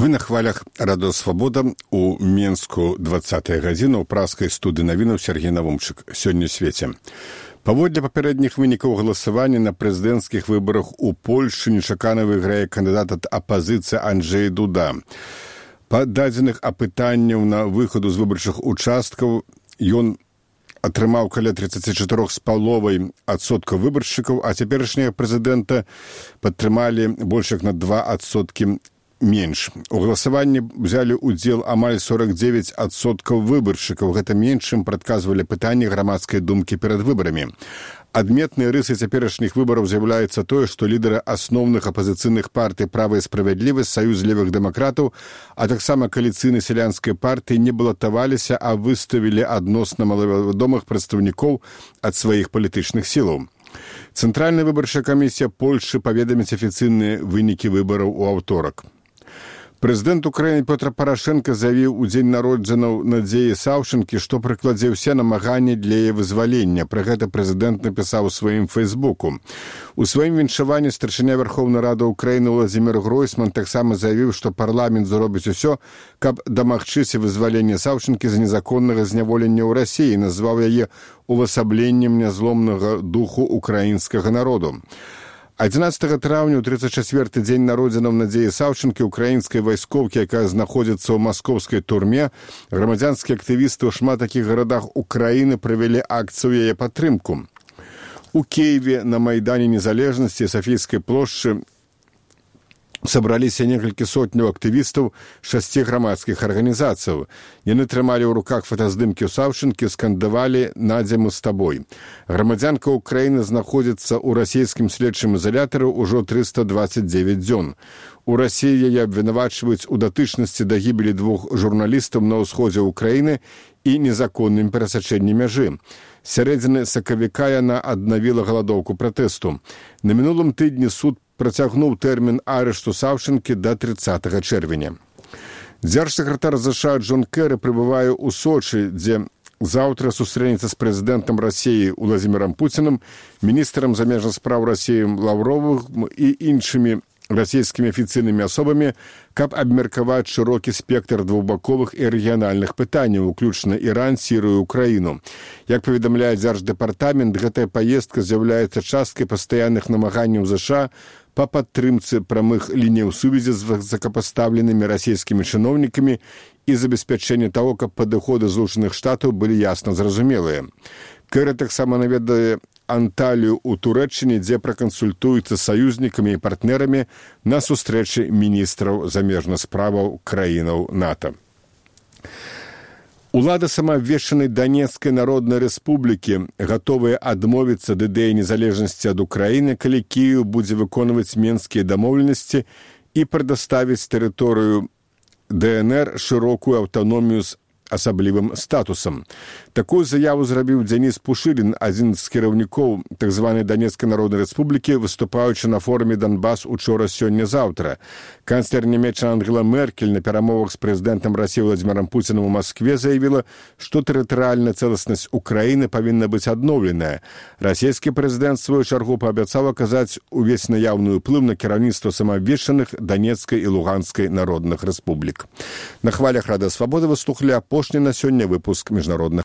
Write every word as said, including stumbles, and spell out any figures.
Вы на хвалях радыё Свабода у Менску двадцатая гадзіна ў праскай студыі навінаў Сергей Навумчык. Сёння ў свеце. Паводле папярэдніх вынікаў галасавання на прэзідэнцкіх выбарах у Польшчы нечакана выйграе кандыдат ад апазіцыі Анджэй Дуда. Па дадзеных апытанняў на выхаду з выбарчых участкаў ён атрымаў каля тридцать четыре з паловай адсоткаў выбаршчыкаў, а цяперашняга прэзідэнта падтрымалі больш як на два адсоткі менш. У галасаванні взялі ўдзел амаль сорок девять адсоткаў выбаршчыкаў. Гэта менш, чым прадказвалі пытанні грамадскай думкі перад выбарамі. Адметнай рысай цяперашніх выбараў з'яўляецца тое, што лідары асноўных апазіцыйных партый «Права і справядлівасць», «Саюз левых дэмакратаў», а таксама кааліцыйнай сялянскай партыі не балатаваліся, а выставілі адносна малавядомых прадстаўнікоў ад сваіх палітычных сілаў. Цэнтральная выбарчая камісія Польшчы паведаміць афіцыйныя вынікі выбараў у аўторак. Прэзідэнт Украіны Пётр Парашенка заявіў у дзень народжанаў Надзеі Саўчынкі, што прыкладзе ўсе намаганні для яе вызвалення. Пра гэта прэзідэнт напісаў у сваім фэйсбуку. У сваім віншаванні старшыня Верховнай Рады Украіны Владзімір Гройсман таксама заявіў, што парламент зробіць усё, каб дамагчыся вызвалення Саўчынкі з незаконнага зняволення ў Расіі, назваў яе увасабленнем нязломнага духу украінскага народу. адзінаццатага траўня, у тридцать четвёрты дзень народзінаў Надзеі Саўчынкі, украінскай вайскоўкі, якая знаходзіцца ў маскоўскай турме, грамадзянскія актывісты ў шмат такіх гарадах Украіны правялі акцыю яе падтрымку. У Киеве на Майдане Незалежнасці Сафійскай плошчы сабраліся некалькі сотняў актывістаў шасці грамадскіх арганізацыяў. Яны трымалі ў руках фотаздымкі ў Саўчынкі, скандавалі «Надзя, мы з табой». Грамадзянка Украіны знаходзіцца ў расійскім следчым ізалятары ўжо триста двадцать девять дзён. У Расіі яе абвінавачваюць у датычнасці да гібелі двух журналістаў на ўсходзе Украіны і незаконным перасячэнні мяжы. З сярэдзіны сакавіка яна аднавіла галадоўку пратэсту. На мінулым тыдні суд працягнуў тэрмін арышту Саўчынкі да тридцатага чэрвеня. Дзяржсакратар ЗША Джон Кэры прыбывае ў Сочы, дзе заўтра сустрэнецца з прэзідэнтам Расіі Владзімірам Пуцінам, міністрам замежных спраў Расіі Лаўровым і іншымі расійскімі афіцыйнымі асобамі, каб абмеркаваць шырокі спектр двухбаковых і рэгіянальных пытанняў, уключна Іран, Сірыю, Украіну. Як паведамляе Дзярждэпартамент, гэтая паездка з'яўляецца часткай пастаянных намаганняў ЗША па падтрымцы прамых ліній сувязі з высокапастаўленымі расійскімі чыноўнікамі і забеспячэння таго, каб падыходы Злучаных Штатаў былі ясна зразумелыя. Кэры таксама наведае Анталію ў Турэччыне, дзе пракансультуецца з саюзнікамі і партнерамі на сустрэчы міністраў замежных справаў краінаў НАТО. Улады самаабвешчанай Донецкай Народнай Рэспублікі гатовыя адмовіцца ад ідэі незалежнасці ад Украіны, калі Кіеў будзе выконваць менскія дамоўленасці і прадаставіць тэрыторыю ДНР шырокую аўтаномію з асаблівым статусам. Такую заяву зрабіў Дзяніс Пушылін, адзін з кіраўнікоў так званай Донецкай Народнай Рэспублікі, выступаючы на форуме «Донбас» учора, сёння-заўтра. Канцлер нямецчына Ангела Меркель на перамовах з прэзідэнтам Расіі Владзімірам Пуцінам у Маскве заявіла, што тэрытарыяльная цэласнасць Украіны павінна быць адноўленая. Расійскі прэзідэнт сваю чаргу паабяцаў аказаць увесь наяўны ўплыў на кіраўніцтва самаабвешчаных Донецкай і Луганскай народных рэспублік. На хвалях Радыё Свабода вы слухалі апошні на сёння выпуск міжнародных